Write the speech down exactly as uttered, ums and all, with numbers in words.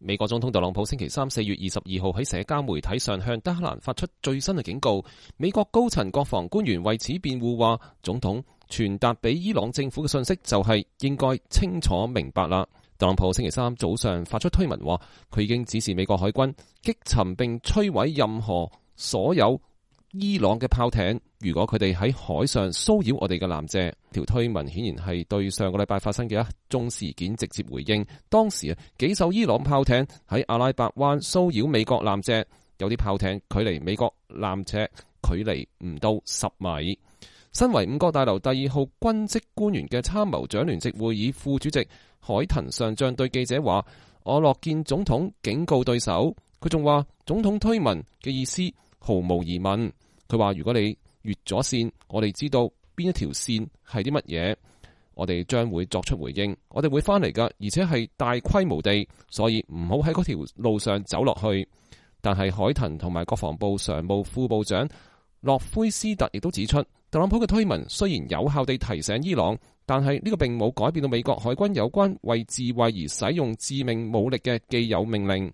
美國總統特朗普星期三四月二十二號喺社交媒體上向德黑蘭發出最新嘅警告。美國高層國防官員為此辯護話，總統傳達俾伊朗政府嘅信息就係應該清楚明白啦。特朗普星期三早上發出推文話，佢已經指示美國海軍擊沉並摧毀任何所有伊朗嘅炮艇，如果佢哋喺海上騷擾我哋嘅艦隻。條推文顯然係對上個禮拜發生嘅一宗事件直接回應。當時啊，幾艘伊朗炮艇喺阿拉伯灣騷擾美國艦隻，有啲炮艇距離美國艦隻距離唔到十米。身為五角大樓第二號軍職官員嘅參謀長聯席會議副主席海騰上將對記者話，我樂見總統警告對手。佢仲話，總統推文嘅意思毫無疑問。佢話，如果你越咗線，我哋知道邊一條線係啲乜嘢，我哋將會作出回應。我哋會翻嚟㗎，而且係大規模地，所以唔好喺嗰條路上走落去。但係海騰同埋國防部常務副部長洛奎斯特亦都指出，特朗普嘅推文雖然有效地提醒伊朗，但係呢個並冇改變到美國海軍有關為自衛而使用致命武力嘅既有命令。